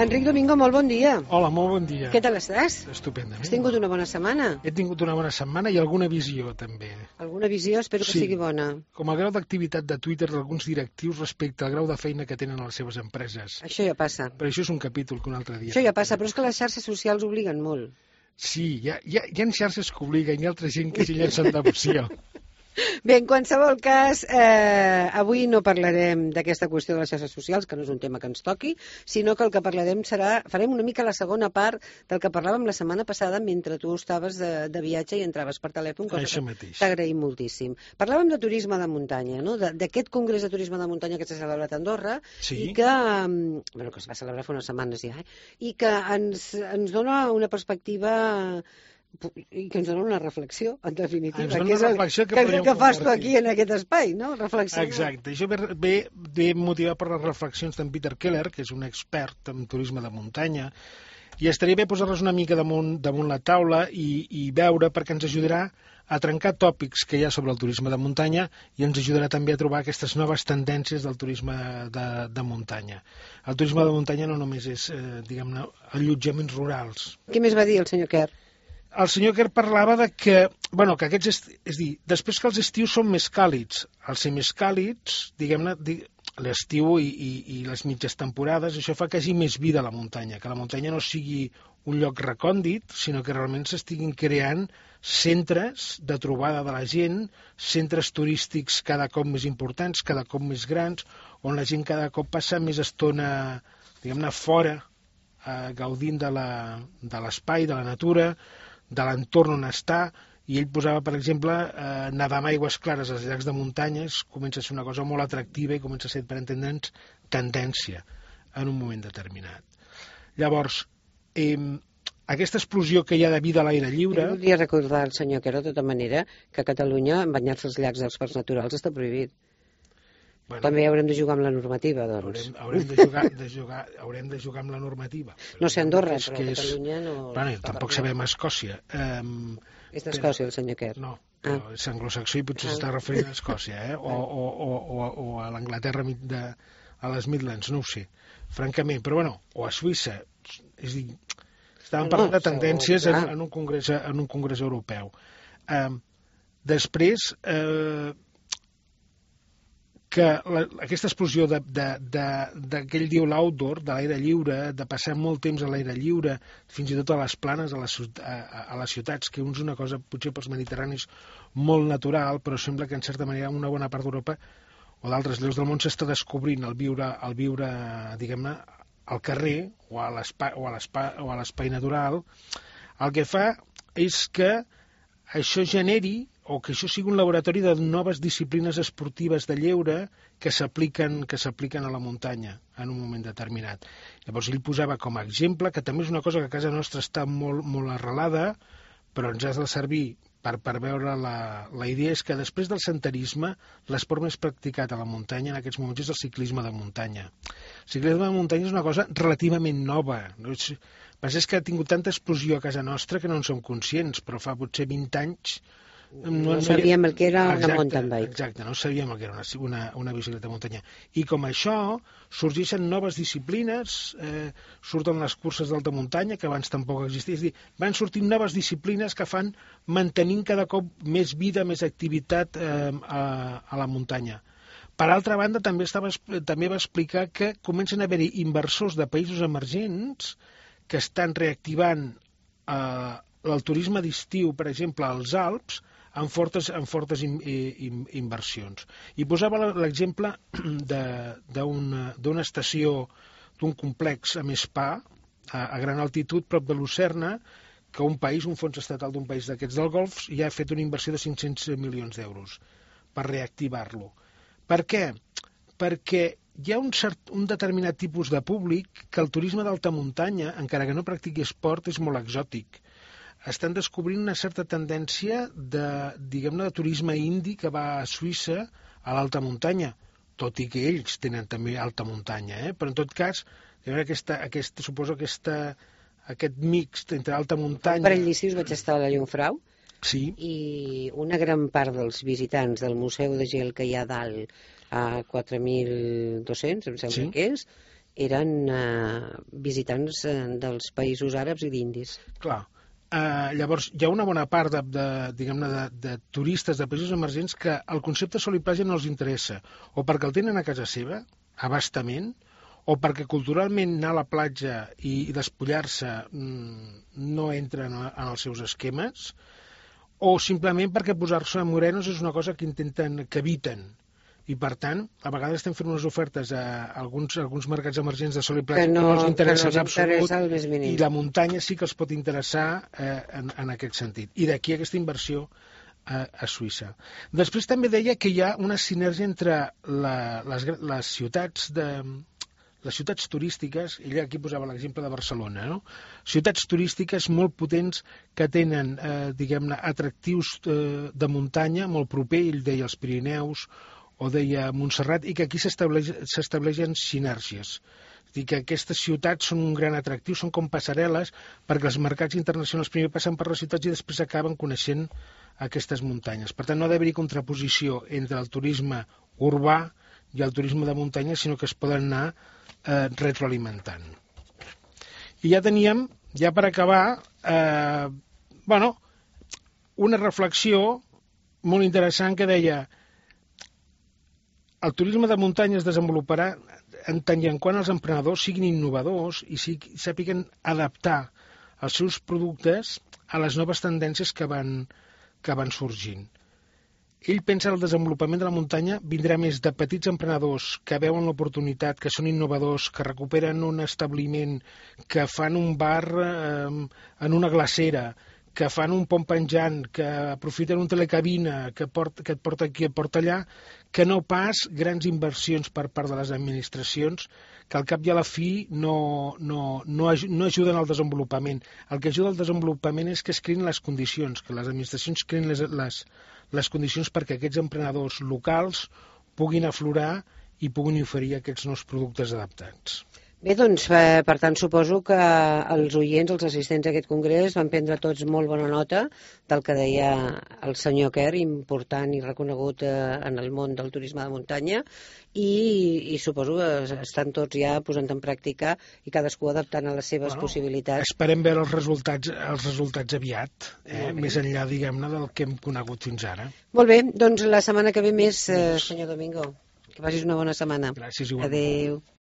Enric Domingo, molt bon dia. Hola, molt bon dia. Què tal estàs? Estupendament. Has tingut una bona setmana? He tingut una bona setmana i alguna visió, també. Alguna visió? Espero que sigui bona. Com el grau d'activitat de Twitter d'alguns directius respecte al grau de feina que tenen a les seves empreses. Això ja passa. Però això és un capítol que un altre dia. Això ja passa, però és que les xarxes socials obliguen molt. Sí, hi ha xarxes que obliguen, hi ha altra gent que s'hi llencen devoció. Bé, en qualsevol cas, avui no parlarem d'aquesta qüestió de les xarxes socials, que no és un tema que ens toqui, sinó que el que parlarem farem una mica la segona part del que parlàvem la setmana passada mentre tu estaves de viatge i entraves per telèfon, cosa que t'agraïm moltíssim. Parlàvem de turisme de muntanya, no? D'aquest congrés de turisme de muntanya que s'ha celebrat a Andorra i que es va celebrar fa unes setmanes ja, i que ens dona una perspectiva i que ens dona una reflexió, en definitiva, que és el que fas tu aquí en aquest espai, no? Reflexió. Exacte, això ve motivat per les reflexions d'en Peter Keller, que és un expert en turisme de muntanya, i estaria bé posar-les una mica damunt la taula i veure, perquè ens ajudarà a trencar tòpics que hi ha sobre el turisme de muntanya i ens ajudarà també a trobar aquestes noves tendències del turisme de muntanya. El turisme de muntanya no només és, diguem-ne, allotjaments rurals. Què més va dir el senyor Kerr? El senyor Kerr parlava de que aquests, és a dir, després que els estius són més càlids, al ser més càlids, diguem-ne, l'estiu i les mitges temporades, això fa que hi hagi més vida a la muntanya, que la muntanya no sigui un lloc recòndit, sinó que realment s'estiguin creant centres de trobada de la gent, centres turístics cada cop més importants, cada cop més grans, on la gent cada cop passa més estona, diguem-ne, fora, gaudint de l'espai, de la natura, de l'entorn on està, i ell posava, per exemple, nedar amb aigües clares als llacs de muntanyes comença a ser una cosa molt atractiva i comença a ser, per entendre'ns, tendència en un moment determinat. Llavors, aquesta explosió que hi ha de vida a l'aire lliure... Jo volia recordar al senyor Kerr, de tota manera, que a Catalunya banyar-se als llacs dels parcs naturals està prohibit. Bueno, també haurem de jugar amb la normativa, doncs. Haurem de jugar amb la normativa. No sé Andorra, però a Catalunya no... Bueno, tampoc sabem Escòcia. És d'Escòcia, el senyor Kerr. No, però és anglosaxó i potser s'està referint a Escòcia, o a l'Anglaterra, a les Midlands, no ho sé, francament. Però bueno, o a Suïssa. És a dir, estàvem parlant de tendències en un congrés europeu. Després... que aquesta explosió d'aquell diu l'outdoor, de l'aire lliure, de passar molt temps a l'aire lliure, fins i tot a les planes, a les ciutats, que és una cosa potser pels mediterranis molt natural, però sembla que en certa manera una bona part d'Europa o d'altres llocs del món s'està descobrint el viure, diguem-ne, al carrer o a l'espai natural. El que fa és que això generi o que això sigui un laboratori de noves disciplines esportives de lleure que s'apliquen a la muntanya en un moment determinat. Llavors ell posava com a exemple, que també és una cosa que a casa nostra està molt, molt arrelada, però ens ha de servir per veure la idea, és que després del senderisme l'esport més practicat a la muntanya en aquests moments és el ciclisme de muntanya. El ciclisme de muntanya és una cosa relativament nova. És que ha tingut tanta explosió a casa nostra que no en som conscients, però fa potser 20 anys no sabíem el que era una mountain bike. Exacte, no sabíem el que era una bicicleta de muntanya. I com això, sorgeixen noves disciplines, surten les curses d'alta muntanya, que abans tampoc existien. És a dir, van sortint noves disciplines que fan mantenint cada cop més vida, més activitat a la muntanya. Per altra banda, també va explicar que comencen a haver-hi inversors de països emergents que estan reactivant el turisme d'estiu, per exemple, als Alps, amb fortes inversions. I posava l'exemple d'una estació, d'un complex amb spa, a gran altitud, prop de Lucerna, que un fons estatal d'un país d'aquests del Golf, ja ha fet una inversió de 500 milions d'euros per reactivar-lo. Per què? Perquè hi ha un determinat tipus de públic que el turisme d'alta muntanya, encara que no practiqui esport, és molt exòtic. Estan descobrint una certa tendència de turisme indi que va a Suïssa a l'alta muntanya, tot i que ells tenen també alta muntanya, però en tot cas suposo aquest mix entre alta muntanya... Un parell d'estius vaig estar a la Llumfrau, sí. I una gran part dels visitants del Museu de Gel que hi ha dalt a 4.200, em sembla que és, eren visitants dels països àrabs i d'indis. Clar. Llavors, hi ha una bona part de turistes de països emergents que el concepte sol i platja no els interessa, o perquè el tenen a casa seva, a bastament, o perquè culturalment anar a la platja i despullar-se no entra en els seus esquemes, o simplement perquè posar-se morenos és una cosa que eviten. I, per tant, a vegades estem fent unes ofertes a alguns mercats emergents de sol i platja que no els interessa en absolut, i la muntanya sí que els pot interessar en aquest sentit. I d'aquí aquesta inversió a Suïssa. Després també deia que hi ha una sinergia entre les ciutats turístiques, ella aquí posava l'exemple de Barcelona, no? Ciutats turístiques molt potents que tenen, atractius de muntanya molt proper, ell deia els Pirineus, o deia Montserrat, i que aquí s'estableixen sinèrgies. És a dir, que aquestes ciutats són un gran atractiu, són com passarel·les, perquè els mercats internacionals primer passen per les ciutats i després acaben coneixent aquestes muntanyes. Per tant, no ha d'haver-hi contraposició entre el turisme urbà i el turisme de muntanya, sinó que es poden anar retroalimentant. I ja teníem, ja per acabar, una reflexió molt interessant que deia: el turisme de muntanya es desenvoluparà en tant i en quant els emprenedors siguin innovadors i sàpiguen adaptar els seus productes a les noves tendències que van sorgint. Ell pensa que el desenvolupament de la muntanya vindrà més de petits emprenedors que veuen l'oportunitat, que són innovadors, que recuperen un establiment, que fan un bar en una glacera, que fan un pont penjant, que aprofiten un telecabina que et porta aquí, et porta allà, que no pas grans inversions per part de les administracions, que al cap i a la fi no ajuden al desenvolupament. El que ajuda al desenvolupament és que es creïn les condicions, que les administracions creïn les condicions perquè aquests emprenedors locals puguin aflorar i puguin oferir aquests nous productes adaptats. Bé, doncs, per tant, suposo que els oients, els assistents a aquest congrés, van prendre tots molt bona nota del que deia el senyor Kerr, important i reconegut en el món del turisme de muntanya, i suposo que estan tots ja posant en pràctica i cadascú adaptant a les seves possibilitats. Esperem veure els resultats aviat, més enllà, diguem-ne, del que hem conegut fins ara. Molt bé, doncs la setmana que ve més, senyor Domingo. Que passis una bona setmana. Gràcies, igualment. Adéu.